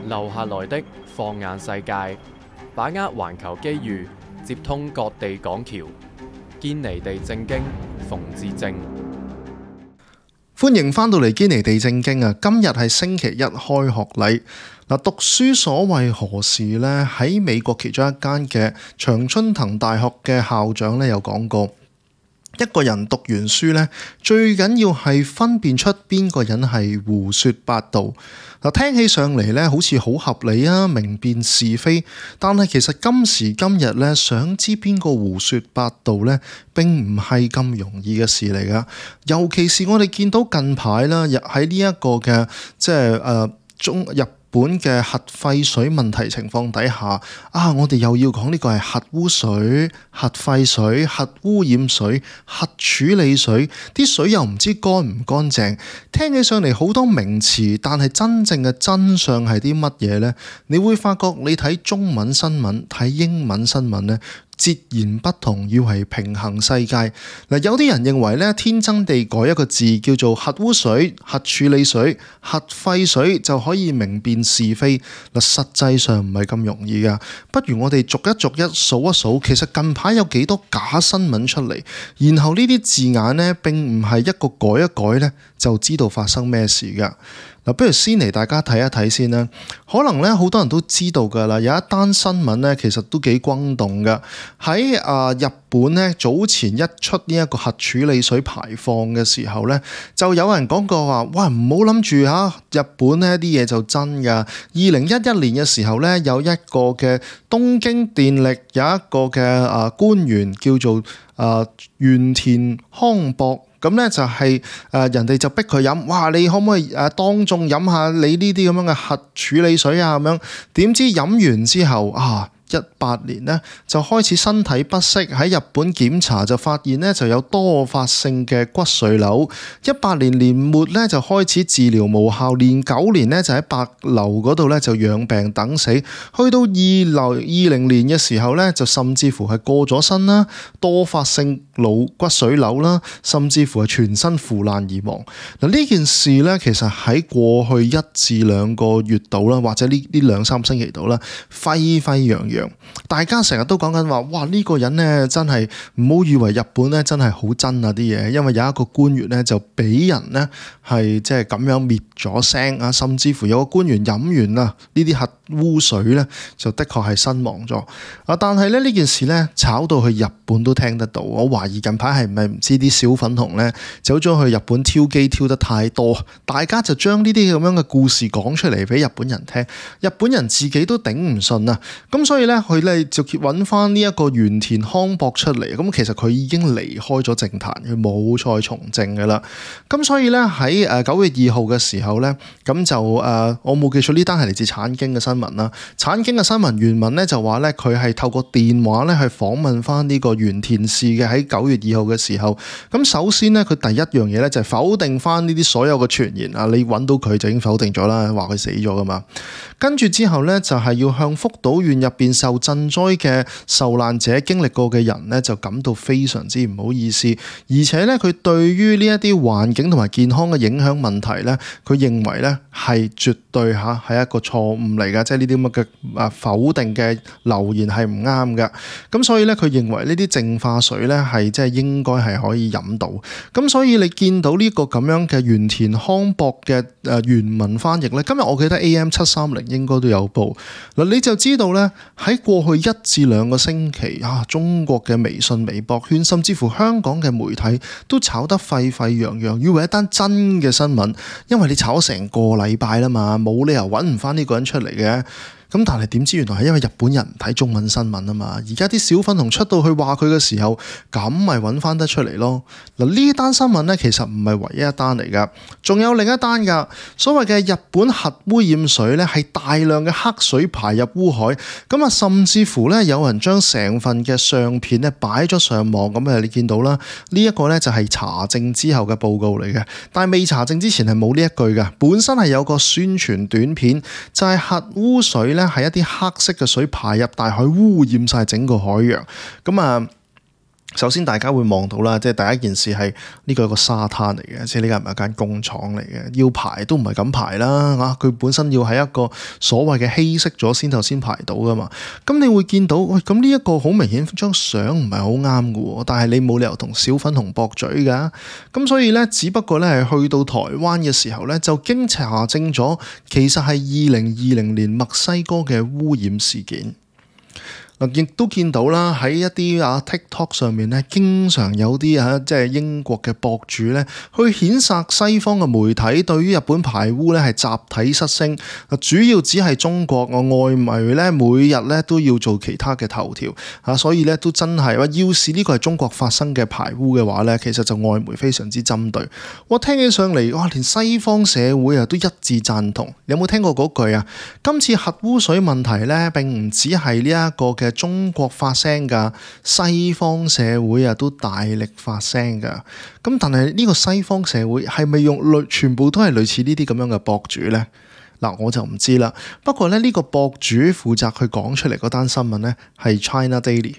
留下來的放眼世界，把握環球機遇，接通各地港橋，堅尼地正經，馮智政。歡迎返到嚟堅尼地正經啊！今日係星期一開學禮。讀書所為何事呢？喺美國其中一間嘅常春藤大學嘅校長咧有講過，一個人讀完書咧，最緊要係分辨出邊個人係胡說八道。聽起上嚟咧好似好合理啊，明辨是非。但係其實今時今日咧，想知邊個胡說八道咧，並唔係咁容易嘅事嚟噶。尤其是我哋見到近排啦，喺呢一個嘅日本嘅核廢水問題情況底下，我哋又要講呢個係核污水、核廢水、核污染水、核處理水，啲水又唔知乾唔乾淨，聽起上嚟好多名詞，但係真正嘅真相係啲乜嘢呢？你會發覺你睇中文新聞、睇英文新聞呢，截然不同，要係平衡世界。有啲人認為咧，天真地改一個字叫做核污水、核處理水、核廢水就可以明辨是非。實際上唔係咁容易噶。不如我哋逐一數一數，其實近排有幾多假新聞出嚟，然後呢啲字眼呢，並唔係一個改一改呢，就知道發生咩事噶。不如先嚟大家睇一睇先啦。可能咧好多人都知道㗎啦，有一單新聞咧，其實都幾轟動㗎。喺日本咧，早前一出呢一個核處理水排放嘅時候咧，就有人講過話：哇，唔好諗住日本呢啲嘢就真㗎。2011年嘅時候咧，有一個嘅東京電力有一個嘅官員叫做原田康博。咁咧就係人哋就逼佢飲，哇！你可唔可以當眾飲下你呢啲咁樣嘅核處理水啊？咁樣點知飲完之後18年呢就開始身體不適，喺日本檢查就發現呢就有多發性嘅骨髓瘤。18年年末呢就開始治療無效，連9年呢就喺白樓嗰度呢就養病等死。去到2020年嘅時候呢，就甚至乎係過咗身啦，多發性骨髓瘤啦，甚至乎係全身腐爛而亡。呢件事呢，其實喺過去1至2個月度啦，或者呢2-3星期度啦，沸沸揚揚。大家成日都講緊話，哇！呢個人呢，真係唔好以為日本呢真係好真啊啲嘢，因為有一個官員呢，就俾人呢係即係咁樣滅咗聲啊，甚至乎有個官員飲完呢啲核污水呢，就的確係身亡咗。但係呢件事呢，炒到去日本都聽得到。我懷疑近排係咪唔知啲小粉紅呢，走咗去日本挑機挑得太多，大家就將呢啲咁樣嘅故事講出嚟俾日本人聽，日本人自己都頂唔順啊。咁所以咧，佢咧就揾翻呢一個原田康博出嚟。咁其實佢已經離開咗政壇，佢冇再從政噶啦。咁所以咧喺9月2號嘅時候咧，咁就我冇記錯呢單係嚟自產經嘅新聞啦。產經嘅新聞原文咧就話咧，佢係透過電話咧去訪問翻呢個原田氏嘅喺9月2號嘅時候。咁首先咧，佢第一樣嘢咧就係否定翻呢啲所有嘅傳言啊。你揾到佢就已經否定咗啦，話佢死咗噶嘛。跟住之後咧，就係要向福島縣入邊受震災嘅受難者經歷過嘅人咧，就感到非常之唔好意思，而且咧佢對於呢一啲環境同埋健康嘅影響問題咧，佢認為咧係絕對係一個錯誤嚟㗎，即係呢啲咁嘅否定嘅留言係唔啱㗎。咁所以咧，佢認為呢啲淨化水咧係即係應該係可以飲到。咁所以你見到呢個咁樣嘅原田康博嘅原文翻譯咧，今日我記得 AM730應該都有報。嗱，你就知道咧喺過去1至2個星期中國嘅微信、微博圈，甚至乎香港嘅媒體都炒得沸沸揚揚，以為一單真嘅新聞，因為你炒咗成個禮拜啦嘛，冇理由揾唔翻呢個人出嚟嘅。咁但係點知原來係因為日本人唔睇中文新聞啊嘛，而家啲小粉紅出到去話佢嘅時候，咁咪揾翻得出嚟咯。嗱，呢單新聞咧其實唔係唯一一單嚟噶，仲有另一單噶。所謂嘅日本核污染水咧係大量嘅黑水排入污海，咁甚至乎咧有人將成份嘅相片咧擺咗上網，咁你見到啦，呢一個咧就係查證之後嘅報告嚟嘅，但係未查證之前係冇呢一句嘅，本身係有個宣傳短片，就係核污水咧係一啲黑色嘅水排入大海，污染晒整個海洋。咁首先大家會望到啦，即係第一件事係呢個係個沙灘嚟嘅，即係呢間唔係間工廠嚟嘅，要排都唔係咁排啦嚇，佢本身要喺一個所謂嘅稀釋咗先排到噶嘛。咁你會見到，喂，咁呢一個好明顯張相唔係好啱嘅喎，但係你冇理由同小粉紅駁嘴㗎。咁所以咧，只不過咧係去到台灣嘅時候咧，就經查證咗，其實係2020年墨西哥嘅污染事件。亦都見到啦，喺一啲TikTok 上面咧，經常有啲即係英國嘅博主咧，去譴責西方嘅媒體對於日本排污咧係集體失聲。主要只係中國外媒咧，每日咧都要做其他嘅頭條所以咧都真係話，要是呢個係中國發生嘅排污嘅話咧，其實就外媒非常之針對。我聽起上嚟，哇，連西方社會都一致贊同。你有冇聽過嗰句啊？今次核污水問題咧並唔只係呢一個嘅中國發聲㗎，西方社會都大力發聲㗎。咁但係呢個西方社會係咪全部都係類似呢啲咁樣嘅博主呢？嗱，我就唔知啦。不過咧，呢個博主負責去講出嚟嗰單新聞呢，係 China Daily，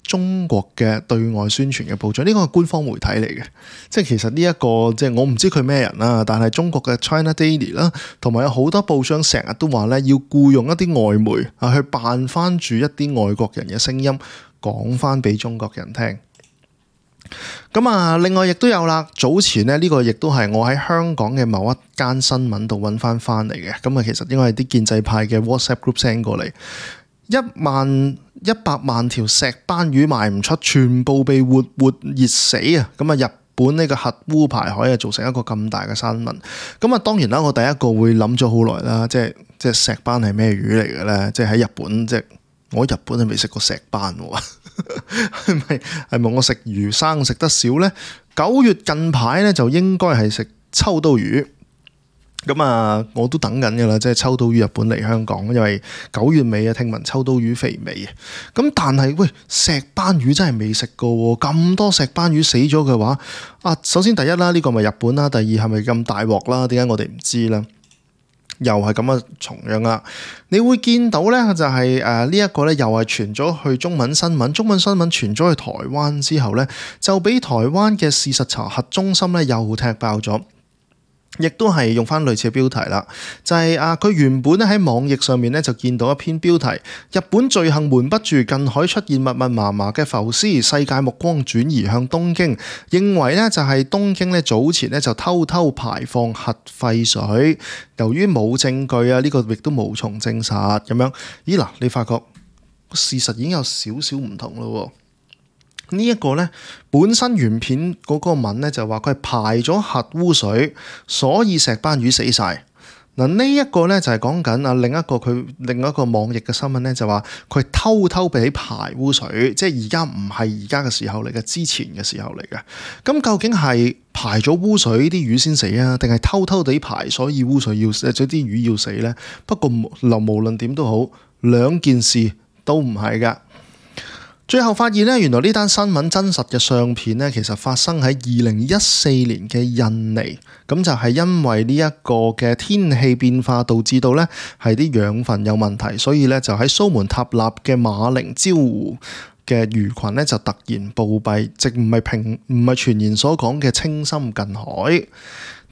中國嘅對外宣傳嘅報章，呢個係官方媒體嚟嘅。即係其實呢一個即係我唔知佢咩人啦，但係中國嘅 China Daily 啦，同埋有好多報章成日都話咧，要僱用一啲外媒去扮翻住一啲外國人嘅聲音，講翻俾中國人聽。咁另外亦都有啦，早前呢個亦都係我喺香港嘅某一間新聞度揾翻嚟嘅。咁其實應該係啲建制派嘅 WhatsApp group send 過嚟，100萬條石斑魚賣唔出，全部被活熱死啊！咁日本呢個核污排海造成一個咁大嘅新聞。咁當然啦，我第一個會諗咗好耐啦，即係石斑係咩魚嚟嘅咧？即係喺日本，即係我喺日本係未食過石斑喎。係咪我食魚生食得少呢？9月近排咧就應該係食秋刀魚。咁我都等緊噶啦，即係秋刀魚日本嚟香港，因為9月尾聽聞秋刀魚肥美。咁但係喂，石斑魚真係未食過喎，咁多石斑魚死咗嘅話，首先第一啦，呢個咪日本啦，第二係咪咁大鑊啦？點解我哋唔知啦？又係咁嘅重樣啦，你會見到咧就係呢一個咧又係傳咗去中文新聞傳咗去台灣之後咧，就俾台灣嘅事實查核中心咧又踢爆咗。亦都係用翻類似嘅標題啦，就係佢原本咧喺網頁上面咧就見到一篇標題：日本罪行瞞不住，近海出現密密麻麻嘅浮屍，世界目光轉移向東京，認為咧就係東京咧早前咧就偷偷排放核廢水，由於冇證據呢個亦都無從證實咁樣。咦嗱，你發覺事實已經有少少唔同咯喎。呢一個呢，本身原片嗰個文呢，就話佢係排咗核污水，所以石斑魚死晒。嗱，呢一個呢，就係講緊另一個網頁嘅新聞呢，就話佢偷偷俾排污水，即係而家唔係而家嘅時候嚟嘅，之前嘅時候嚟嘅。咁究竟係排咗污水啲魚先死啊，定係偷偷地排所以污水要死，即啲魚要死呢？不過無論點都好，兩件事都唔係㗎。最後發現咧，原來呢單新聞真實嘅相片咧，其實發生喺2014年嘅印尼，咁就係因為呢一個嘅天氣變化導致到咧係啲養分有問題，所以咧就喺蘇門答臘嘅馬陵礁湖嘅魚群咧就突然暴斃，即唔係傳言所講嘅清心近海。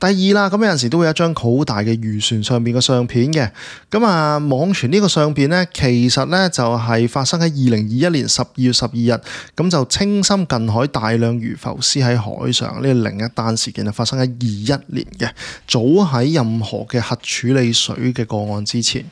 第二啦，咁有陣時都會有一張好大嘅漁船上面嘅相片嘅，咁網傳呢個相片呢，其實呢就係發生喺2021年12月12日，咁就清心近海大量魚浮屍喺海上，呢另一單事件就發生喺21年嘅，早喺任何嘅核處理水嘅個案之前。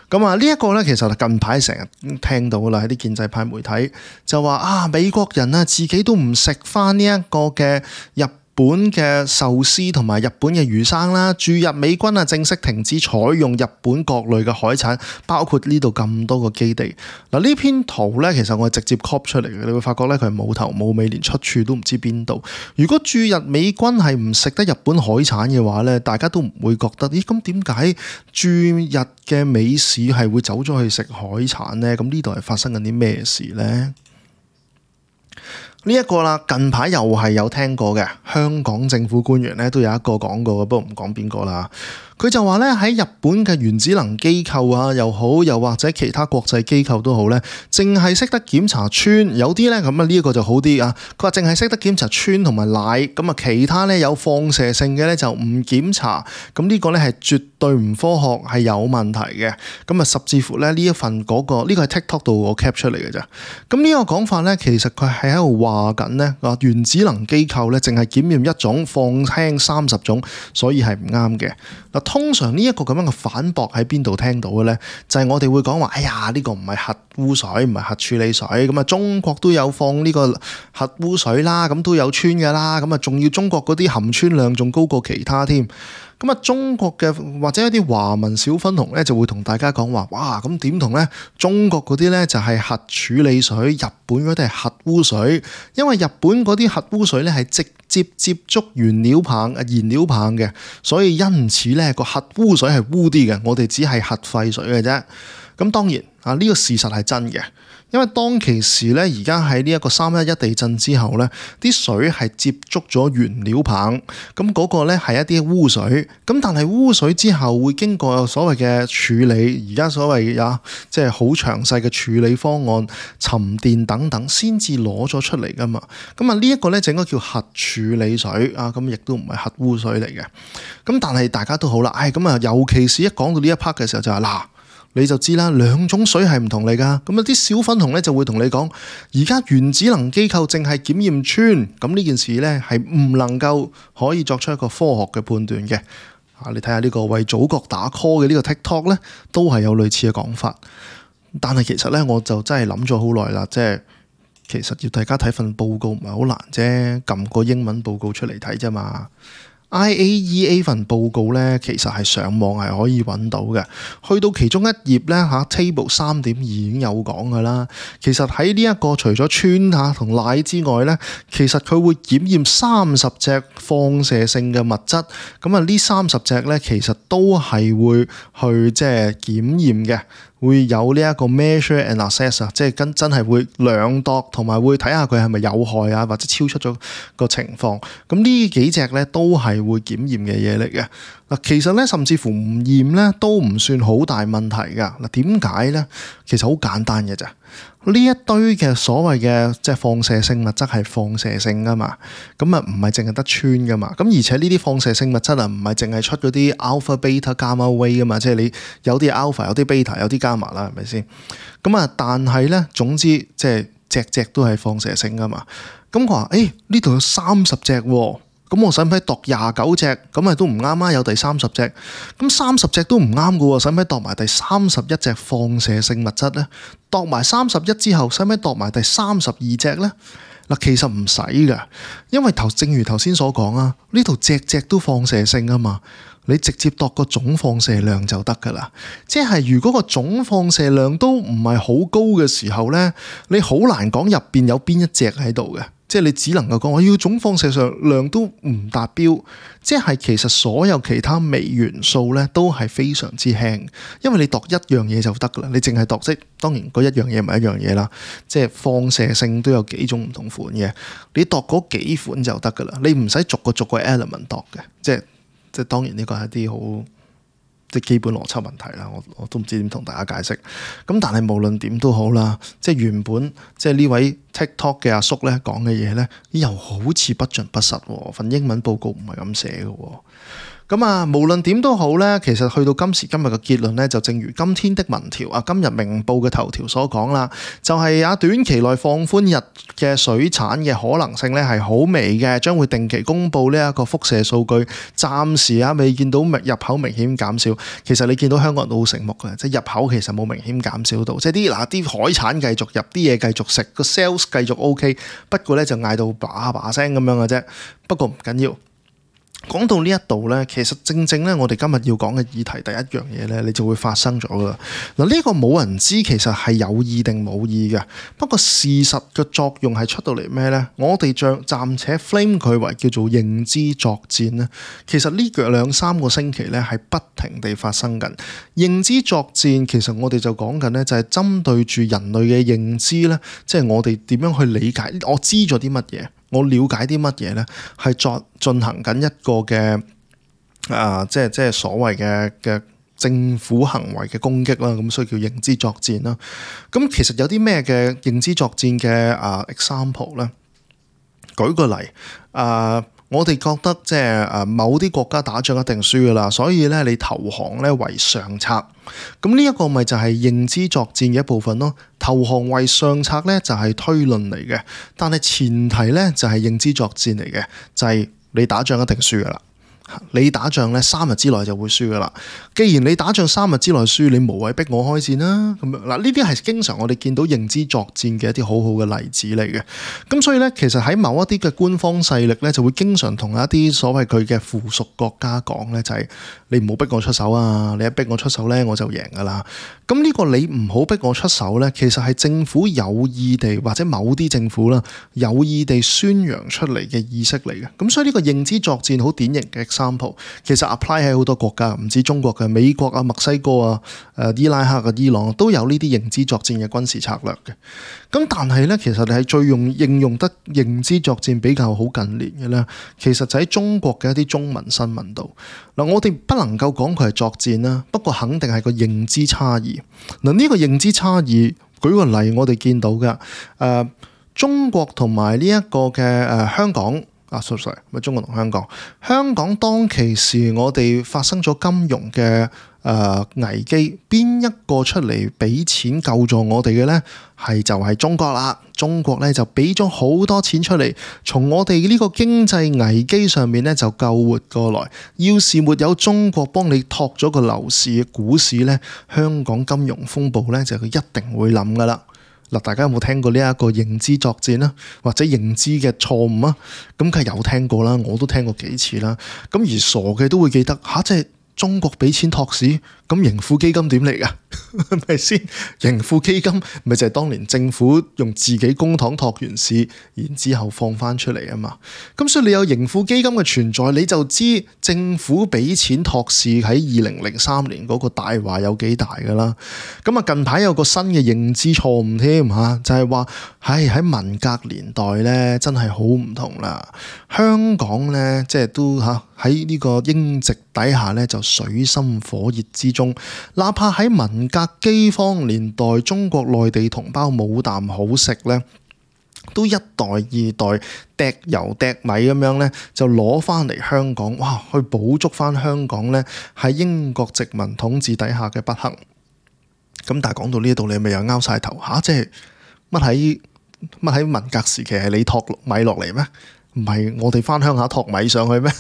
咁呢一個呢，其實近排成日聽到啦，喺啲建制派媒體就話美國人自己都唔食翻呢一個嘅日本嘅壽司同埋日本嘅魚生啦，駐日美軍正式停止採用日本各類嘅海產，包括呢度咁多個基地。嗱，呢篇圖咧，其實我係直接 copy 出嚟嘅，你會發覺咧佢係冇頭冇尾，連出處都唔知邊度。如果駐日美軍係唔食得日本海產嘅話咧，大家都唔會覺得，咦？咁點解駐日嘅美使係會走咗去食海產咧？咁呢度係發生緊啲咩事咧？呢一個啦，近排又係有聽過嘅，香港政府官員咧都有一個講過嘅，不過唔講邊個啦。佢就話咧喺日本嘅原子能機構啊又好，又或者其他國際機構都好咧，淨係識得檢查氚，有啲咧咁啊呢一個就好啲啊。佢話淨係識得檢查氚同埋氖，咁啊其他咧有放射性嘅咧就唔檢查。咁呢個咧係絕對唔科學，係有問題嘅。咁啊甚至乎咧呢一份嗰個呢個係 TikTok 度我 cap 出嚟嘅啫。咁呢個講法咧，其實佢係喺度話緊咧，話原子能機構咧淨係檢驗一種，放輕30種，所以係唔啱嘅。嗱，通常呢一個咁樣嘅反駁喺邊度聽到嘅咧？就係我哋會講話，哎呀呢個唔係核污水，唔係核處理水，咁啊中國都有放呢個核污水啦，咁都有氚㗎啦，咁啊仲要中國嗰啲含氚量仲高過其他添。咁啊，中國嘅或者一啲華文小粉紅咧，就會同大家講話，哇，咁點同咧？中國嗰啲咧就係核處理水，日本嗰啲係核污水，因為日本嗰啲核污水咧係直接接觸燃料棒嘅，所以因此咧個核污水係污啲嘅，我哋只係核廢水嘅啫。咁當然啊，呢個事實係真嘅。因為當其時咧，而家喺呢一個311地震之後咧，啲水係接觸咗原料棒，咁嗰個咧係一啲污水，咁但係污水之後會經過所謂嘅處理，而家所謂即係好詳細嘅處理方案、沉澱等等，先至攞咗出嚟噶嘛。咁啊呢一個咧就應該叫核處理水啊，咁亦都唔係核污水嚟嘅。咁但係大家都好啦，咁啊尤其是一講到呢一 part 嘅時候就係嗱。你就知啦，兩種水係唔同嚟㗎。咁啊啲小粉紅咧就會同你講，而家原子能機構淨係檢驗氚，咁呢件事咧係唔能夠可以作出一個科學嘅判斷嘅。你睇下呢個為祖國打 call 嘅呢個 TikTok 咧，都係有類似嘅講法。但係其實咧，我就真係諗咗好耐啦，即係其實要大家睇份報告唔係好難啫，撳個英文報告出嚟睇啫嘛。IAEA 份報告咧，其實係上網係可以揾到嘅。去到其中一頁咧Table 3.2已經有講㗎啦。其實喺呢一個除咗氚同氖之外咧，其實佢會檢驗30隻放射性嘅物質。咁啊，呢30隻咧其實都係會去即係檢驗嘅。會有呢一個 measure and assess 啊，即係真係會量度同埋會睇下佢係咪有害啊，或者超出咗個情況。咁呢幾隻咧都係會檢驗嘅嘢嚟嘅。嗱，其實咧甚至乎唔驗咧都唔算好大問題㗎。嗱，點解咧？其實好簡單嘅咋。呢一堆嘅所謂嘅即係放射性物質係放射性㗎嘛，咁啊唔係淨係得氚㗎嘛，咁而且呢啲放射性物質啊唔係淨係出嗰啲 alpha、beta、gamma ray 㗎嘛，即係你有啲 alpha、有啲 beta、有啲 gamma 啦，係咪先？咁啊，但係咧總之即係隻都係放射性㗎嘛。咁佢話呢度有30隻喎。咁我使唔使度29隻？咁咪都唔啱啊！有第30隻，咁30隻都唔啱㗎喎，使唔使度埋第31隻放射性物質咧？度埋31之後，使唔使度埋第32隻咧？嗱，其實唔使㗎，因為正如頭先所講啊，呢度隻都放射性啊嘛，你直接度個總放射量就得㗎啦。即係如果個總放射量都唔係好高嘅時候咧，你好難講入邊有邊一隻喺度嘅。即係你只能夠講我要總放射量都唔達標，即係其實所有其他微元素咧都係非常之輕，因為你度一樣嘢就得㗎啦，你淨係度即當然嗰一樣嘢唔係一樣嘢啦，即係放射性都有幾種唔同款嘅，你度嗰幾款就得㗎啦，你唔使逐個 element 度嘅，即係當然呢個係一啲好即係基本邏輯問題啦，我都唔知點同大家解釋。咁但係無論點都好啦，即係原本即係呢位 TikTok 嘅阿叔咧講嘅嘢咧，又好似不盡不實喎。份英文報告唔係咁寫嘅喎。咁啊，無論點都好咧，其實去到今時今日嘅結論咧，就正如今天的民調啊，今日明報嘅頭條所講啦，就係短期內放寬日嘅水產嘅可能性咧係好微嘅，將會定期公布呢一個輻射數據。暫時未見到入口明顯減少。其實你見到香港人都好醒目嘅，即係入口其實冇明顯減少到，即係啲海產繼續入，啲嘢繼續食，個 sales 繼續 OK。不過咧就嗌到把把聲咁樣嘅啫。不過唔緊要。講到呢一度咧，其實正咧，我哋今日要講嘅議題第一樣嘢咧，你就會發生咗㗎。嗱，呢個冇人知其實係有意定冇意嘅。不過事實嘅作用係出到嚟咩咧？我哋暫且 frame 佢為叫做認知作戰咧。其實呢2-3個星期咧係不停地發生緊認知作戰。其實我哋就講緊咧，就係針對住人類嘅認知咧，即係我哋點樣去理解，我知咗啲乜嘢。我了解啲乜嘢咧？係進行緊一個嘅即係所謂嘅政府行為嘅攻擊啦，咁所以叫認知作戰啦。咁其實有啲咩嘅認知作戰嘅example 咧？舉個例，我哋覺得即係某啲國家打仗一定輸噶啦，所以咧你投降咧為上策。咁呢一個咪就係認知作戰嘅一部分咯。投降為上策咧就係推論嚟嘅，但係前提咧就係認知作戰嚟嘅，就係你打仗一定輸噶啦。你打仗咧3日之內就會輸噶啦。既然你打仗3日之內輸，你無謂逼我開戰啦。咁樣嗱，呢啲係經常我哋見到認知作戰嘅一啲好好嘅例子嚟嘅。咁所以咧，其實喺某一啲嘅官方勢力咧，就會經常同一啲所謂佢嘅附屬國家講咧，就係你唔好逼我出手啊！你一逼我出手咧，我就贏噶啦。咁呢個你唔好逼我出手咧，其實係政府有意地或者某啲政府啦有意地宣揚出嚟嘅意識嚟嘅。咁所以呢個認知作戰好典型嘅example，其實 apply 喺好多國家，唔止中國嘅，美國啊、墨西哥啊、伊拉克啊、伊朗都有呢啲認知作戰嘅軍事策略嘅。咁但係咧，其實你係最應用得認知作戰比較好近年嘅咧，其實就喺中國嘅一啲中文新聞度。嗱，我哋不能夠講佢係作戰啦，不過肯定係個認知差異。嗱，呢個認知差異，舉個例，我哋見到嘅中國同埋呢一個嘅香港。sorry， 咪中國同香港。香港當其時，我哋發生咗金融嘅危機，邊一個出嚟俾錢救助我哋嘅呢？就係中國啦。中國咧就俾咗好多錢出嚟，從我哋呢個經濟危機上面咧就救活過來。要是沒有中國幫你托咗個樓市、股市咧，香港金融風暴咧就佢一定會冧噶啦。嗱，大家有冇聽過呢一個認知作戰啦，或者認知嘅錯誤啊？咁梗係有聽過啦，我都聽過幾次啦。咁而傻嘅都會記得即係中國俾錢托市，咁盈富基金點嚟㗎？係咪先？盈富基金咪就係當年政府用自己公帑托完市，然之後放翻出嚟啊嘛。咁所以你有盈富基金嘅存在，你就知政府俾錢托市喺2003年嗰個大話有幾大㗎啦。咁啊近排有個新嘅認知錯誤添嚇，就係話喺文革年代咧真係好唔同啦。香港咧即係都喺呢個英殖底下咧就水深火熱之中，哪怕喺文革饑荒年代，中國內地同胞冇啖好食咧，都一代二代掟油掟米咁樣咧，就攞翻嚟香港，去補足翻香港咧喺英國殖民統治底下嘅不幸。咁但係講到呢度，你咪又拗晒頭即係乜喺文革時期係你托米落嚟咩？唔係我哋翻鄉下托米上去咩？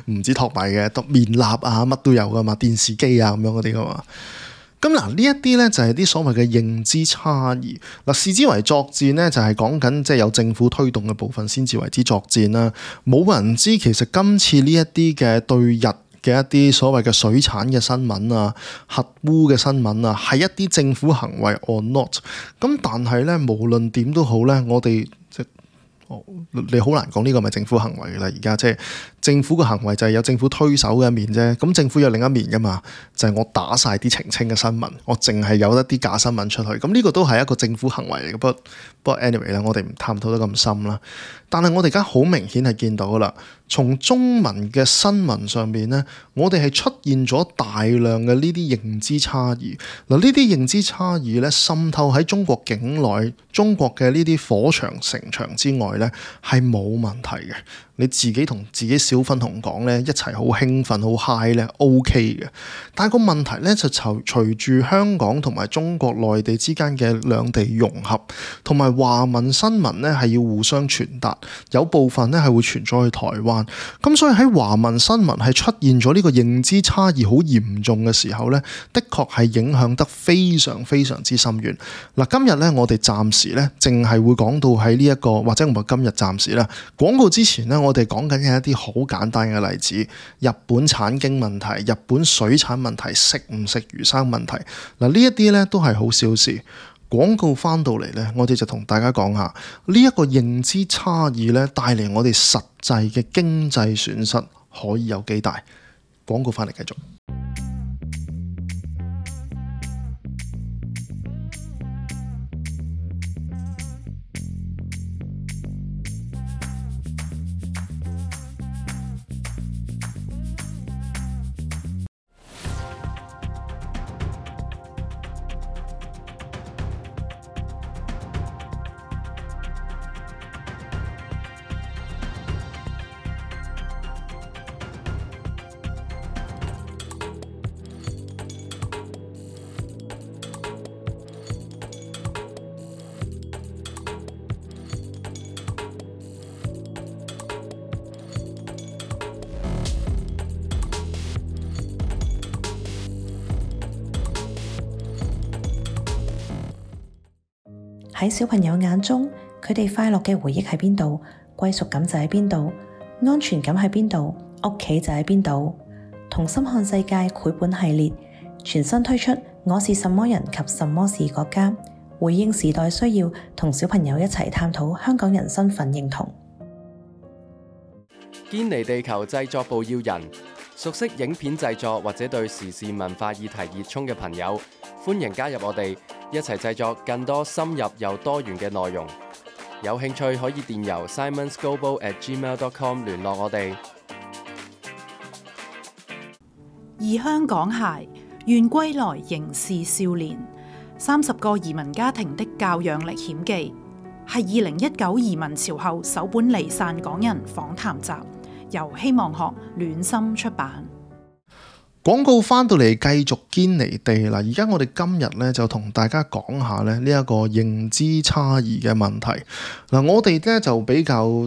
唔止托米嘅，托麵蠟啊，乜都有噶嘛，電視機啊咁樣嗰啲噶嘛。咁嗱，呢一啲咧就係啲所謂嘅認知差異。嗱，視之為作戰咧，就係講緊即係有政府推動嘅部分先至為之作戰啦。冇人知其實今次呢一啲嘅對日嘅一啲所謂嘅水產嘅新聞啊、核污嘅新聞啊，係一啲政府行為 or not。咁但係咧，無論點都好咧，我哋你好難講呢個咪政府行為㗎啦。而家即係政府嘅行為就係有政府推手嘅一面啫，咁政府有另一面㗎嘛，就係我打晒啲澄清嘅新聞，我淨係有一啲假新聞出去，咁呢個都係一個政府行為嚟嘅。不過 anyway 啦，我哋唔探討得咁深啦。但係我哋而家好明顯係見到㗎啦，從中文嘅新聞上面咧，我哋係出現咗大量嘅呢啲認知差異。嗱，呢啲認知差異咧滲透喺中國境內，中國嘅呢啲火場城牆之外咧係冇問題嘅。你自己同自己小粉紅講咧，一齊好興奮好 high 咧 OK 嘅。但係個問題咧就隨住香港同埋中國內地之間嘅兩地融合，同埋華文新聞咧係要互相傳達，有部分咧係會傳咗去台灣。咁所以喺華文新聞係出現咗呢個認知差異好嚴重嘅時候咧，的確係影響得非常非常之深遠。嗱，今日咧我哋暫時咧淨係會講到喺呢一個，或者唔係今日暫時啦。廣告之前咧，我哋講緊嘅一啲好簡單嘅例子，日本產經問題、日本水產問題、食唔食魚生問題。嗱，呢一啲咧都係好小事。廣告翻到嚟咧，我哋就同大家講下呢一個認知差異咧，帶嚟我哋實際嘅經濟損失可以有幾大。廣告翻嚟繼續。喺小朋友眼中，佢哋快樂嘅回憶喺邊度，歸屬感就喺邊度，安全感喺邊度，屋企就喺邊度。同心看世界繪本系列全新推出《我是什麼人及什麼是國家》，回應時代需要，同小朋友一齊探討香港人身份認同。堅尼地球製作部要人，熟悉影片製作或者對時事文化議題熱衷嘅朋友，歡迎加入我哋，一齊製作更多深入又多元嘅內容。有興趣可以電郵 simonsglobal@gmail.com 聯絡我哋。異鄉港孩願歸來仍是少年，30個移民家庭的教養歷險記，係2019移民潮後首本離散港人訪談集，由希望學暖心出版。廣告翻到嚟繼續堅尼地啦，而家我哋今日咧就同大家講下咧呢一個認知差異嘅問題。嗱，我哋咧就比較，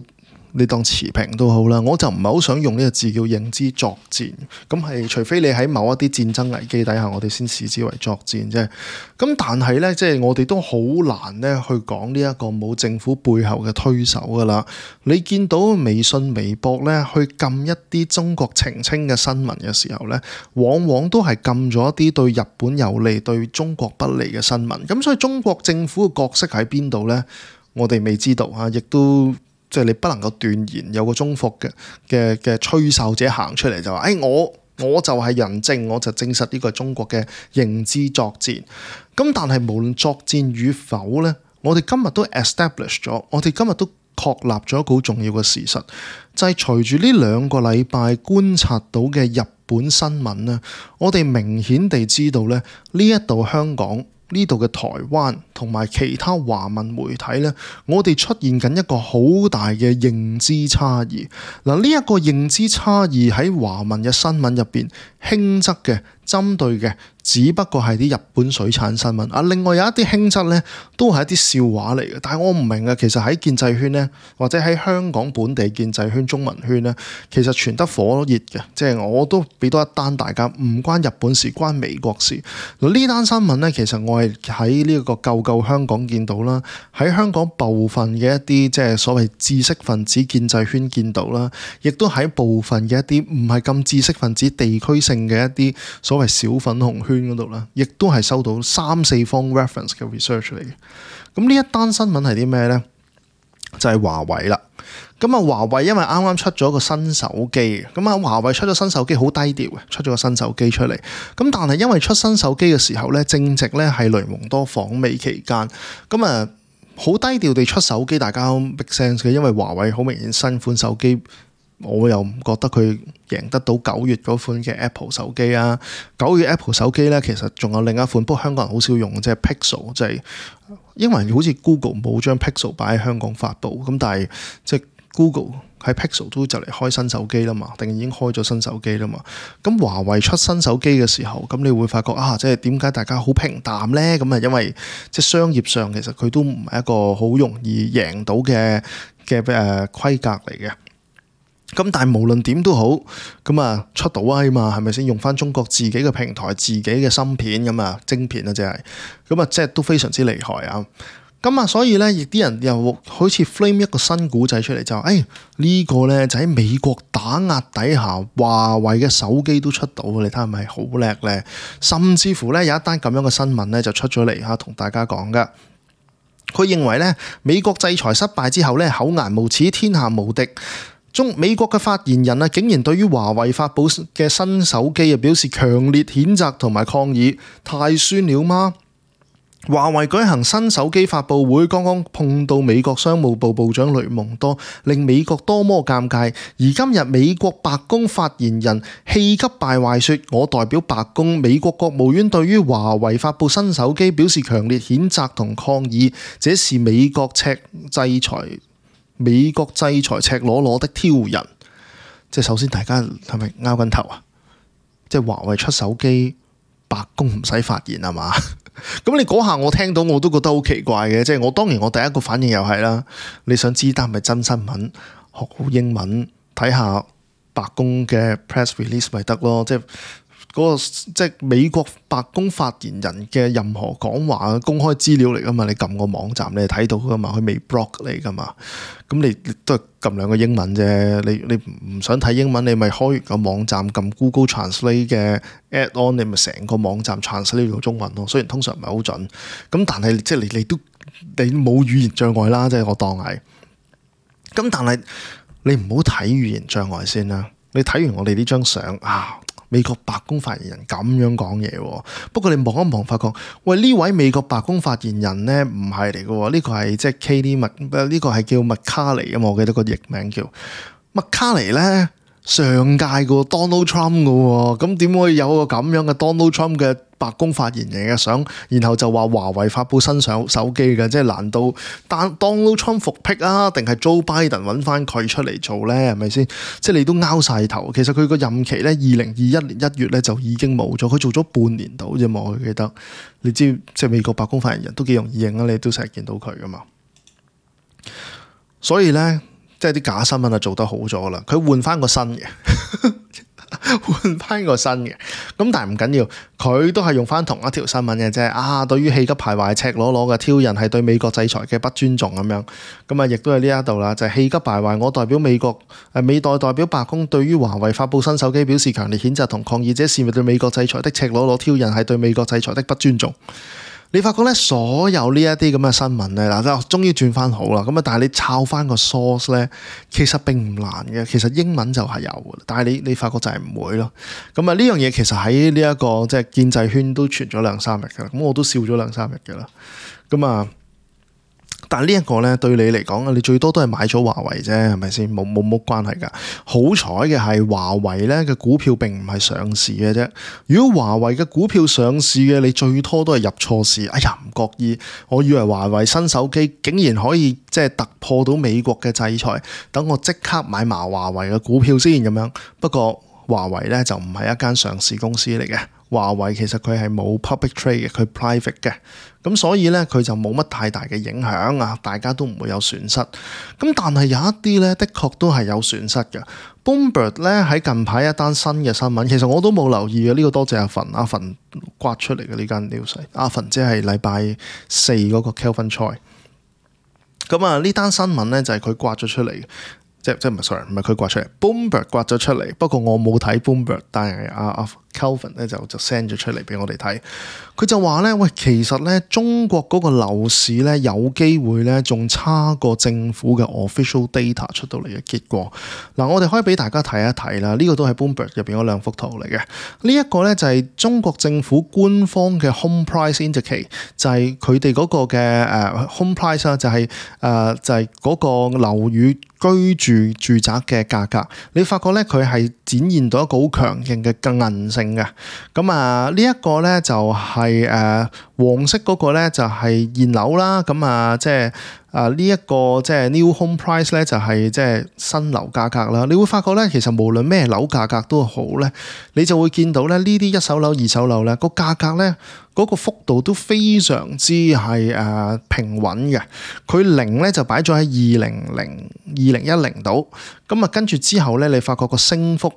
你當持平都好啦，我就唔係好想用呢個字叫認知作戰，咁係除非你喺某一啲戰爭危機底下，我哋先視之為作戰啫。咁但係咧，即係我哋都好難咧去講呢一個冇政府背後嘅推手噶啦。你見到微信、微博咧去禁一啲中國澄清嘅新聞嘅時候咧，往往都係禁咗一啲對日本有利、對中國不利嘅新聞。咁所以中國政府嘅角色喺邊度咧？我哋未知道啊，亦都。即係你不能夠斷言有個中伏嘅吹哨者行出嚟就話，我就係人證，我就證實呢個係中國嘅認知作戰。咁但係無論作戰與否咧，我哋今日都 establish 咗，我哋今日都確立咗一個好重要嘅事實，就係隨住呢2個禮拜觀察到嘅日本新聞咧，我哋明顯地知道咧，呢一度香港，呢度嘅台灣同埋其他華文媒體咧，我哋出現緊一個好大嘅認知差異。嗱，呢一個認知差異喺華文嘅新聞入邊，輕則嘅針對嘅只不過係啲日本水產新聞啊，另外有一啲輕則咧都係一啲笑話嚟嘅。但係我唔明啊，其實喺建制圈咧，或者喺香港本地建制圈、中文圈咧，其實傳得火熱嘅。即係我都俾多一單大家，唔關日本事，關美國事。嗱，呢單新聞咧，其實我係喺呢個救救香港見到啦，喺香港部分嘅一啲即係所謂知識分子建制圈見到啦，亦都喺部分嘅一啲唔係咁知識分子地區性嘅一啲所謂小粉紅圈嗰度啦，亦都係收到3-4方 reference 嘅 research 嚟嘅。咁呢一單新聞係啲咩呢？就係華為啦。咁啊，華為因為啱啱出咗個新手機，咁啊，華為出咗新手機好低調嘅，出咗個新手機出嚟。咁但係因為出新手機嘅時候咧，正值咧係雷蒙多訪美期間，咁啊好低調地出手機，大家都 make sense 嘅，因為華為好明顯新款手機。我又唔覺得佢贏得到9月嗰款嘅 Apple 手機啊。9月 Apple 手機咧，其實仲有另一款，不過香港人好少用，即係 Pixel，即係因為好似 Google 冇將 Pixel 擺喺香港發布，咁但係即係 Google 喺 Pixel 都就嚟開新手機啦嘛，定已經開咗新手機啦嘛。咁華為出新手機嘅時候，咁你會發覺啊，即係點解大家好平淡咧？咁啊，因為即係商業上其實佢都唔係一個好容易贏到嘅規格嚟嘅。咁但係無論點都好，咁啊出到啊嘛，係咪先用翻中國自己嘅平台、自己嘅芯片咁啊晶片啊，即係咁啊，即係都非常之厲害啊！咁啊，所以咧，亦啲人又好似 frame 一個新古仔出嚟，就話呢個咧就喺美國打壓底下，華為嘅手機都出到，你睇係咪好叻咧？甚至乎咧有一單咁樣嘅新聞咧就出咗嚟嚇，同大家講噶。佢認為咧美國制裁失敗之後咧，厚顏無恥，天下無敵。美國嘅發言人啊，竟然對於華為發布嘅新手機啊表示強烈譴責同埋抗議，太酸了嗎？華為舉行新手機發布會，剛剛碰到美國商務部部長雷蒙多，令美國多麼尷尬。而今日美國白宮發言人氣急敗壞說：我代表白宮、美國國務院對於華為發布新手機表示強烈譴責同抗議，這是美國制裁赤裸裸的挑釁。即係首先大家係咪拗緊頭啊？即係華為出手機，白宮唔使發言係嘛？咁你嗰下我聽到我都覺得好奇怪嘅。即係我當然我第一個反應又係啦，你想知單係咪真新聞？學好英文睇下白宮嘅 press release 咪得咯。即係嗰個即係美國白宮發言人嘅任何講話公開資料嚟噶嘛？你撳個網站你係睇到噶嘛？佢未 block 你噶嘛？咁你都係撳兩個英文啫。你唔想睇英文，你咪開完個網站撳 Google Translate 嘅 add-on， 你咪成個網站 translate 到中文咯。雖然通常唔係好準，咁但係即係你冇語言障礙啦，即係我當係。咁但係你唔好睇語言障礙先啦。你睇完我哋呢張相啊，美國白宮發言人咁樣講嘢喎。不過你望一望發覺，喂，呢位美國白宮發言人咧唔係嚟嘅喎，呢個係即係 Katie 呢個係叫麥卡尼啊嘛，我記得個譯名叫麥卡尼咧，上屆個 Donald Trump 嘅喎，咁點可以有個咁樣嘅 Donald Trump 嘅白宮發言人嘅相，然後就話華為發布新手機嘅，即係難道Donald Trump 復辟啊，定係 Joe Biden 揾翻佢出嚟做咧？係咪先？即係你都拗晒頭。其實佢個任期咧，2021年1月咧就已經冇咗，佢做咗半年到啫嘛。我記得，你知即係美國白宮發言人都幾容易認啊，你都成日見到佢噶嘛。所以咧，即係啲假新聞啊做得好咗啦，佢換翻個新嘅。換翻個新嘅，咁但係唔緊要，佢都係用翻同一條新聞嘅啫。啊，對於氣急敗壞、赤裸裸嘅挑釁係對美國制裁嘅不尊重咁樣，咁啊亦都係呢一度啦，就係氣急敗壞。我代表美國美代表白宮對於華為發布新手機表示強烈譴責同抗議，這是對美國制裁的赤裸裸挑釁係對美國制裁的不尊重。你發覺咧，所有呢一啲咁嘅新聞咧，嗱，終於轉翻好啦。咁啊，但係你抄翻個 source 咧，其實並唔難嘅。其實英文就係有嘅，但係你發覺就係唔會咯。咁啊，呢樣嘢其實喺呢一個即係建制圈都傳咗2-3日嘅啦。咁我都笑咗2-3日嘅啦。咁啊，但係呢一個咧對你嚟講，你最多都係買咗華為啫，係咪先？冇關係㗎。好彩嘅係華為咧嘅股票並唔係上市嘅啫。如果華為嘅股票上市嘅，你最多都係入錯市。哎呀，唔覺意，我以為華為新手機竟然可以即係突破到美國嘅制裁，等我即刻買埋華為嘅股票先咁樣。不過華為咧就唔係一間上市公司嚟嘅。華為其實佢係冇 public trade 嘅，佢 private 嘅，咁所以咧佢就冇乜太大嘅影響啊，大家都唔會有損失。咁但係有一啲咧，的確都係有損失嘅。Bloomberg 咧喺近排一單新嘅新聞，其實我都冇留意嘅，呢個多謝阿份刮出嚟嘅呢間 news。阿份即係禮拜4嗰個 Kelvin Choi。咁啊，呢單新聞咧就係佢刮咗出嚟。即唔係 sorry， 唔係佢刮出嚟 ，Bloomberg 刮咗出嚟。不過我冇睇 Bloomberg，但係阿 Kelvin 咧就 send 咗出嚟俾我哋睇。佢就話咧，喂，其實咧中國嗰個樓市咧有機會咧仲差過政府嘅 official data 出到嚟嘅結果。嗱，我哋可以俾大家睇一睇啦。呢個都係 Bloomberg 入邊嗰2幅圖嚟嘅。呢一個咧就係中國政府官方嘅 home price indicator，就係佢哋嗰個嘅home price 啦，就係嗰個樓宇居住宅嘅價格。你發覺咧佢係展現到一個好強勁嘅韌性嘅。咁啊，呢一個咧就係黃色嗰個咧就係現樓啦。咁啊，即係呢一個即係 new home price 咧就係即係新樓價格啦。你會發覺咧，其實無論咩樓價格都好咧，你就會見到咧呢啲一手樓、二手樓咧個價格咧嗰個幅度都非常之係平穩嘅。佢0咧就擺咗喺2010度，咁啊跟住之後咧，你發覺個升幅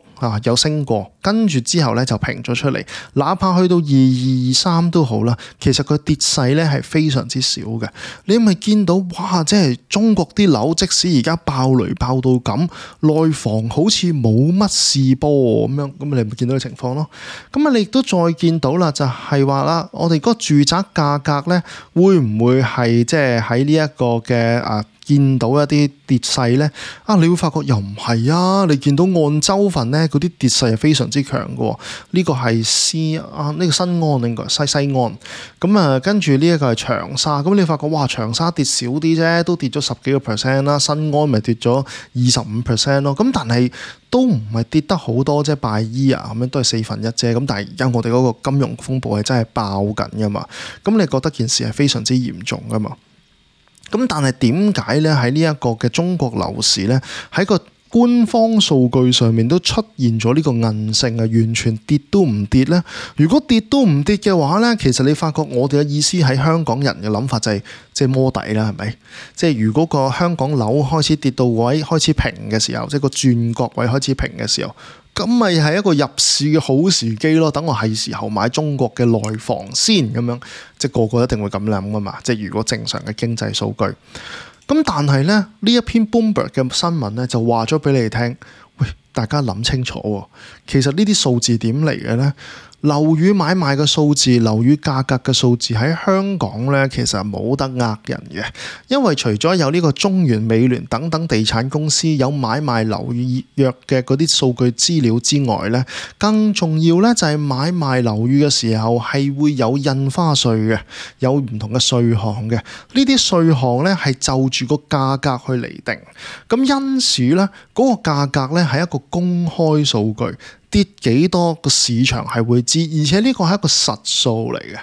有升過，跟住之後咧就平咗出嚟。哪怕去到2223都好啦，其實佢跌勢咧係非常之少嘅。你咪見到哇，即係中國啲樓，即使而家爆雷爆到咁，內房好似冇乜事波咁樣，咁你咪見到嘅情況咯。咁啊，你亦都再見到啦，就係話啦，我哋嗰個住宅價格咧，會唔會係即係喺呢一個嘅見到一啲跌勢咧？你會發覺又唔係啊！你見到按州份咧，嗰啲跌勢係非常之強嘅。呢個係呢個新安應該西安。咁啊，跟住呢一個係長沙。咁你發覺哇，長沙跌少啲啫，都跌咗10幾個 percent 啦。新安咪跌咗25% 咯。咁但係都唔係跌得好多啫，by year咁樣都係1/4啫。咁但係而家我哋嗰個金融風暴係真係爆緊噶嘛。咁你覺得件事係非常之嚴重噶嘛？咁但係點解咧喺呢一個嘅中國樓市咧喺個官方數據上面都出現咗呢個韌性啊，完全跌都唔跌咧？如果跌都唔跌嘅話咧，其實你發覺我哋嘅意思喺香港人嘅諗法就係即係摸底啦，係咪？即係如果個香港樓開始跌到位開始平嘅時候，即係個轉角位開始平嘅時候，咁咪係一個入市嘅好時機咯。等我係時候買中國嘅內房先咁樣，即係個個一定會咁諗噶嘛。即係如果正常嘅經濟數據，咁但係咧呢一篇 Bloomberg 嘅新聞咧就話咗俾你哋聽，喂，大家諗清楚喎，其實呢啲數字點嚟嘅咧？樓宇買賣嘅數字、樓宇價格嘅數字喺香港咧，其實冇得呃人嘅，因為除咗有呢個中原、美聯等等地產公司有買賣樓宇約嘅嗰啲數據資料之外咧，更重要咧就係買賣樓宇嘅時候係會有印花稅嘅，有唔同嘅稅項嘅。呢啲稅項咧係就住個價格去釐定，咁因此咧嗰個價格咧係一個公開數據。跌幾多個市場係會知，而且呢個係一個實數嚟嘅。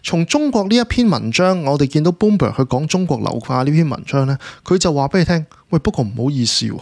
從中國呢一篇文章，我哋見到 Bloomberg 去講中國樓價呢篇文章咧，佢就話俾你聽，喂，不過唔好意思喎，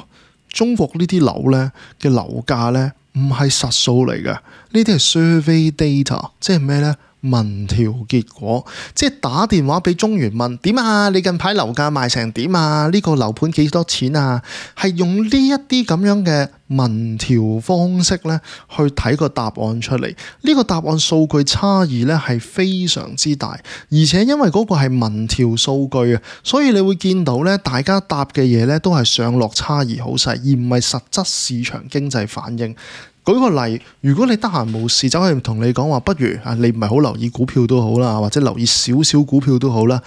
中國呢啲樓咧嘅樓價咧唔係實數嚟嘅，呢啲係 survey data， 即係咩咧？民調結果，即係打電話俾中原問點啊？你近排樓價賣成點啊？呢個樓盤幾多錢啊？係用呢一啲咁樣嘅民調方式咧，去睇個答案出嚟。呢個答案數據差異咧係非常之大，而且因為嗰個係民調數據啊，所以你會見到咧，大家答嘅嘢咧都係上落差異好細，而唔係實質市場經濟反應。舉個例，如果你得閒無事走去同你講話，不如你唔係好留意股票都好啦，或者留意少少股票都好啦，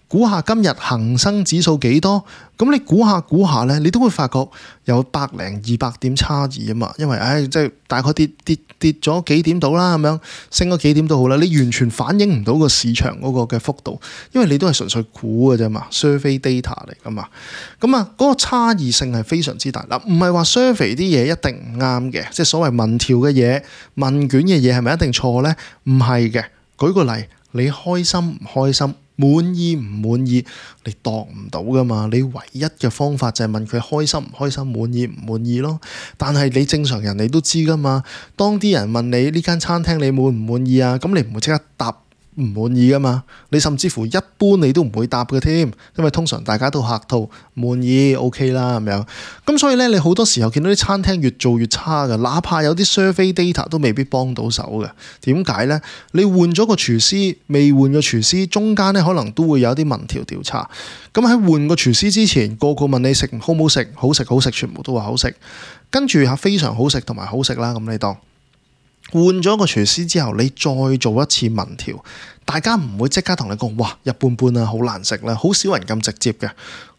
估下今日恒生指數幾多？咁你估下咧，你都會發覺有100零200點差異啊嘛，因為即係大概跌咗幾點到啦，咁樣升咗幾點都好啦，你完全反映唔到個市場嗰個嘅幅度，因為你都係純粹估嘅啫嘛 ，survey data 嚟噶嘛，咁嗰個差異性係非常之大。嗱，唔係話 survey 啲嘢一定唔啱嘅，即係所謂民調嘅嘢、問卷嘅嘢係咪一定錯咧？唔係嘅。舉個例，你開心唔開心？滿意唔滿意，你度唔到噶嘛？你唯一嘅方法就係問佢開心唔開心、滿意唔滿意咯。但係你正常人你都知噶嘛？當啲人問你呢間餐廳你滿唔滿意啊？咁你唔會即刻答唔滿意噶嘛？你甚至乎一般你都唔會答嘅添，因為通常大家都客套，滿意 OK 啦咁樣。咁所以咧，你好多時候見到啲餐廳越做越差嘅，哪怕有啲 survey data 都未必幫到手嘅。點解咧？你換咗個廚師，未換個廚師，中間咧可能都會有啲民調調查。咁喺換個廚師之前，個個問你食好唔好食，好食好食，全部都話好食。跟住非常好食同埋好食啦，咁你當。換咗個廚師之後，你再做一次民調，大家唔會即刻同你講，哇，一般般啦，好難食啦，好少人咁直接嘅。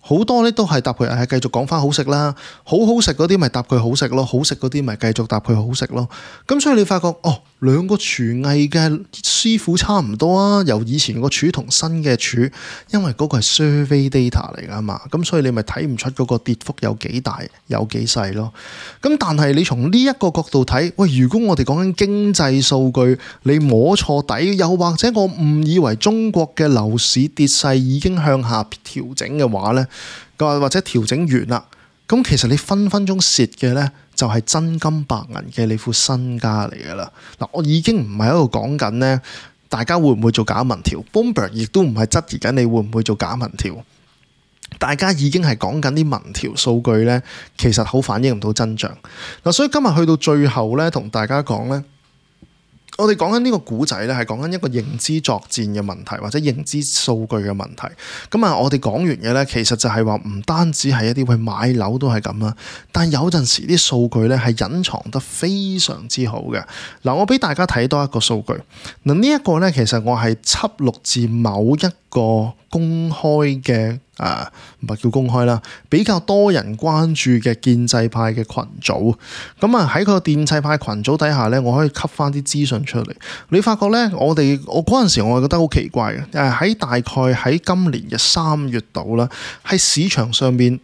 好多咧都係答佢繼續講翻好食啦，好食嗰啲咪答佢好食咯，好食嗰啲咪繼續答佢好食咯。咁所以你發覺兩個廚藝嘅師傅差唔多啊，由以前個廚同新嘅廚，因為嗰個係 survey data 嚟噶嘛，咁所以你咪睇唔出嗰個跌幅有幾大有幾細咯。咁但係你從呢一個角度睇，喂，如果我哋講緊經濟數據，你摸錯底，又或者我誤以為中國嘅樓市跌勢已經向下調整嘅話咧，或者調整完啦，咁其實你分鐘蝕嘅咧，就係真金白銀嘅你副身家嚟㗎啦。嗱，我已經唔係喺度講緊咧，大家會唔會做假民調 ？Bloomberg 亦都唔係質疑緊你會唔會做假民調。大家已經係講緊啲民調數據咧，其實好反映唔到真相。嗱，所以今日去到最後咧，同大家講咧。我哋講緊呢個古仔咧，係講緊一個認知作戰嘅問題，或者認知數據嘅問題。我哋講完嘅咧，其實就係話唔單止係一啲買樓都係咁啦，但有陣時啲數據咧係隱藏得非常之好嘅。嗱，我俾大家睇多一個數據。嗱，呢一個咧，其實我係輯錄自某一個公開嘅唔係叫公開啦，比較多人關注嘅建制派嘅群組。喺個建制派群組底下咧，我可以吸翻啲資訊出嚟。你發覺咧，我嗰陣時我係覺得好奇怪嘅。喺大概喺今年嘅3月度啦，喺市場上面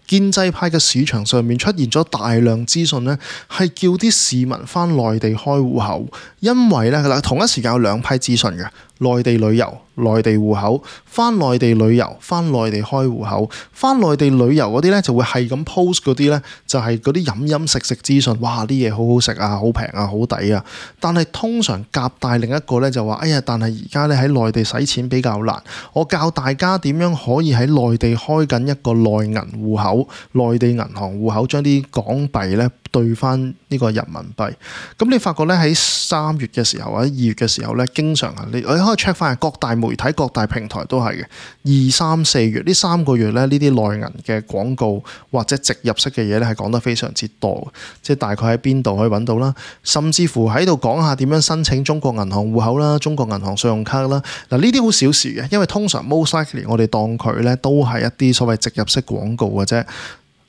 建制派嘅市場上面出現咗大量資訊咧，係叫啲市民翻內地開戶口，因為咧同一時間有兩批資訊嘅。內地旅遊、內地戶口，翻內地旅遊、翻內地開戶口，翻內地旅遊嗰啲咧就會係咁 post 嗰啲咧，就係嗰啲飲食資訊，哇啲嘢好好食啊，好平啊，好抵啊！但係通常夾帶另一個咧就話，哎呀，但係而家咧喺內地使錢比較難，我教大家點樣可以喺內地開緊一個內銀戶口、內地銀行戶口，將啲港幣咧兌翻呢個人民幣。咁你發覺咧喺3月嘅時候或者2月嘅時候咧，經常你可以 check 翻各大媒體、各大平台都係嘅。2、3、4月呢3個月咧，呢啲內銀嘅廣告或者直入式嘅嘢咧係講得非常之多，即係大概喺邊度可以揾到啦，甚至乎喺度講下點樣申請中國銀行戶口啦、中國銀行信用卡啦。嗱，呢啲好小事嘅，因為通常 most likely 我哋當佢咧都係一啲所謂直入式廣告嘅啫。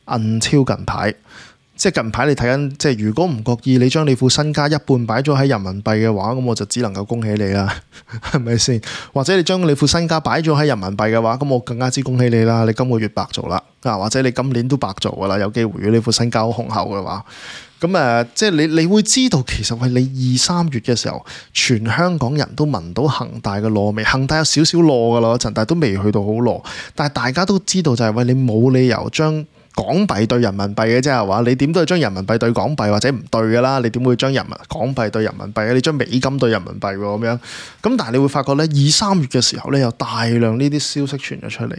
until 近排。即係近排你睇緊，即係如果唔覺意你將你副身家一半擺咗喺人民幣嘅話，咁我就只能夠恭喜你啦，係咪先？或者你將你副身家擺咗喺人民幣嘅話，咁我更加之恭喜你啦，你今個月白做啦，或者你今年都白做噶啦，有機會如果你副身家好雄厚嘅話，咁即係你會知道其實喂，你2、3月嘅時候，全香港人都聞到恒大嘅燶味，恒大有少少燶噶啦嗰陣，但係都未去到好燶，但係大家都知道就係喂，你冇理由將港幣對人民幣嘅啫係嘛？你點都係將人民幣對港幣或者唔對㗎啦？你點會將港幣對人民幣？你將美金對人民幣喎咁樣？咁但係你會發覺咧，2、3月嘅時候咧，有大量呢啲消息傳咗出嚟。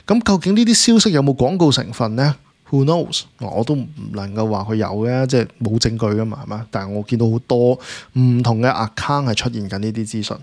咁究竟呢啲消息有冇廣告成分咧？Who knows？我都唔能夠話佢有嘅，即係冇證據㗎嘛，係嘛？但係我見到好多唔同嘅 account 係出現緊呢啲資訊。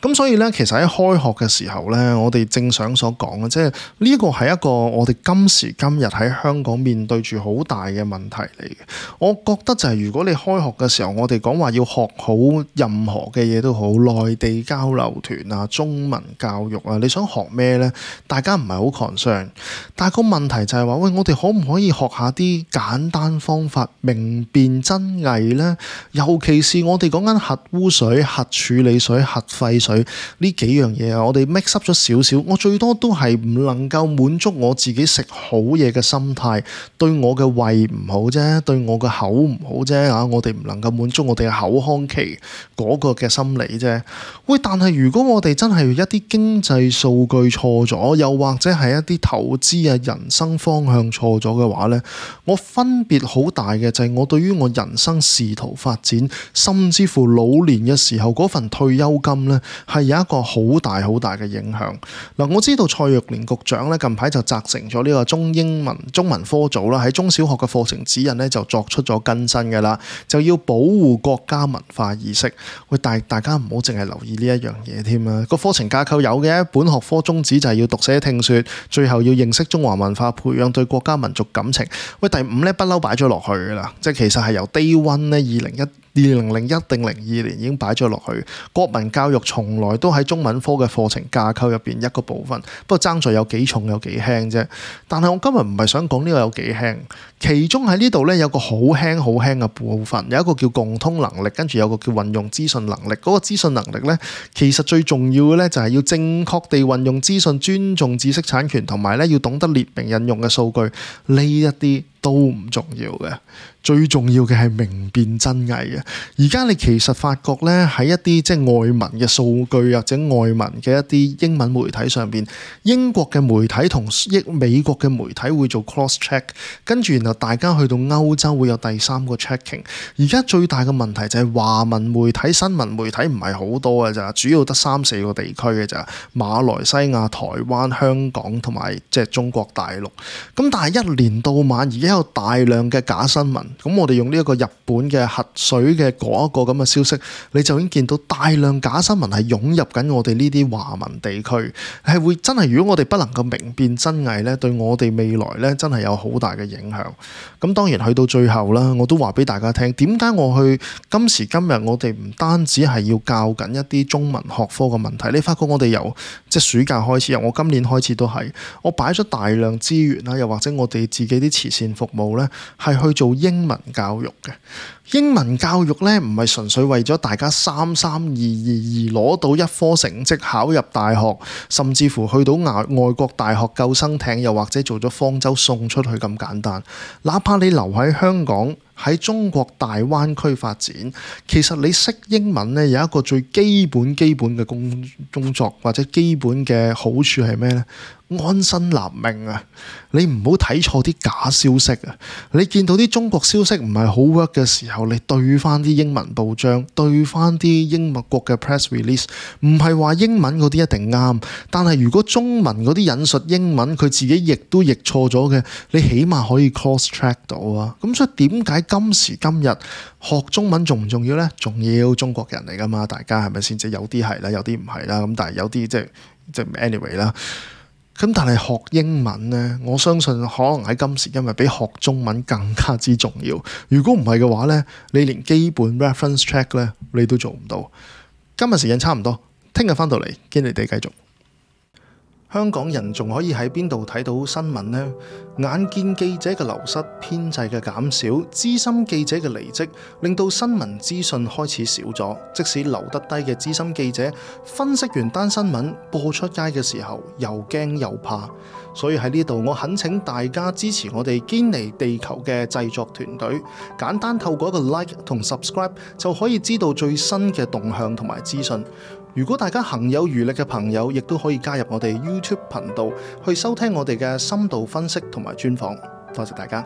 咁所以咧，其實喺開學嘅時候咧，我哋正想所講嘅，即係呢個係一個我哋今時今日喺香港面對住好大嘅問題嚟嘅。我覺得就係如果你開學嘅時候，我哋講話要學好任何嘅嘢都好，內地交流團啊、中文教育啊，你想學咩咧？大家唔係好 concern，但係個問題就係話，喂，我哋可唔可以學下啲簡單方法，明辨真偽咧？尤其是我哋講緊核污水、核處理水、核廢水。呢幾樣嘢啊，我哋 mix up 咗少少，我最多都係唔能夠滿足我自己食好嘢嘅心態，對我嘅胃唔好啫，對我嘅口唔好啫啊！我哋唔能夠滿足我哋嘅口腔期嗰個嘅心理啫。喂，但係如果我哋真係一啲經濟數據錯咗，又或者係一啲投資啊、人生方向錯咗嘅話呢，我分別好大嘅就係我對於我人生仕途發展，甚至乎老年嘅時候嗰份退休金呢，係有一個好大好大嘅影響。嗱，我知道蔡若蓮局長咧近排就責成咗呢個中文科組啦，喺中小學嘅課程指引咧就作出咗更新嘅啦，就要保護國家文化意識。喂，大家唔好淨係留意呢一樣嘢添啊！個課程架構有嘅，本學科宗旨就係要讀寫聽說，最後要認識中華文化，培養對國家民族感情。喂，第5咧不嬲擺咗落去噶啦，即係其實係由 Day One 咧2001定02年已經擺咗落去。國民教育從來都喺中文科嘅課程架構入邊一個部分，不過爭在有幾重有幾輕啫。但係我今日唔係想講呢個有幾輕，其中喺呢度咧有個好輕嘅部分，有一個叫共通能力，跟住有個叫運用資訊能力。嗰個資訊能力咧，其實最重要嘅咧就係要正確地運用資訊，尊重知識產權，同埋咧要懂得列明引用嘅數據，呢一啲都唔重要嘅。最重要嘅係明辨真偽嘅。而家你其實發覺咧，喺一啲即係外文嘅數據或者外文嘅一啲英文媒體上邊，英國嘅媒體同美國嘅媒體會做 cross check， 跟住然後大家去到歐洲會有第3個 checking。而家最大嘅問題就係華文媒體、新聞媒體唔係好多嘅咋，主要得3、4個地區嘅咋，馬來西亞、台灣、香港同埋即係中國大陸。咁但係一年到晚而家有大量嘅假新聞。咁我哋用呢一個日本嘅核水嘅嗰一個咁嘅消息，你就已經見到大量假新聞係湧入緊我哋呢啲華文地區，係會真係如果我哋不能夠明辨真偽咧，對我哋未來咧真係有好大嘅影響。咁當然去到最後啦，我都話俾大家聽，點解我去今時今日我哋唔單止係要教緊一啲中文學科嘅問題，你發覺我哋由即係暑假開始，由我今年開始都係，我擺咗大量資源啦，又或者我哋自己啲慈善服務咧，係去做英文教育嘅。英文教育咧唔係純粹為咗大家33222攞到一科成績考入大學，甚至乎去到外國大學救生艇，又或者做咗方舟送出去咁簡單。哪怕你留喺香港，喺中國大灣區發展，其實你識英文咧有一個最基本嘅工作或者基本嘅好處係咩呢？安身立命啊！你唔好睇錯啲假消息啊！你見到啲中國消息唔係好 work 嘅時候，你對翻啲英文報章，對翻啲英國嘅 press release， 唔係話英文嗰啲一定啱，但係如果中文嗰啲引述英文佢自己譯都譯錯咗嘅，你起碼可以 cross check 到啊！咁所以點解今時今日學中文重唔重要呢？重要，中國人嚟噶嘛，大家係咪先？即係有啲係啦，有啲唔係啦，咁但係有啲即係 anyway 啦。咁但係學英文呢，我相信可能喺今時今日比學中文更加之重要。如果唔係嘅話呢，你連基本 reference check 呢，你都做唔到。今日時間差唔多，聽日翻到嚟堅尼地繼續。香港人仲可以喺邊度睇到新聞呢？眼見記者嘅流失、編制嘅減少、資深記者嘅離職，令到新聞資訊開始少咗。即使留得低嘅資深記者，分析完單新聞播出街嘅時候，又驚又怕。所以喺呢度，我懇請大家支持我哋堅尼地球嘅製作團隊，簡單透過一個 like 同 subscribe 就可以知道最新嘅動向同埋資訊。如果大家行有餘力嘅朋友，亦都可以加入我哋 YouTube 頻道去收聽我哋嘅深度分析同埋專訪。多謝大家。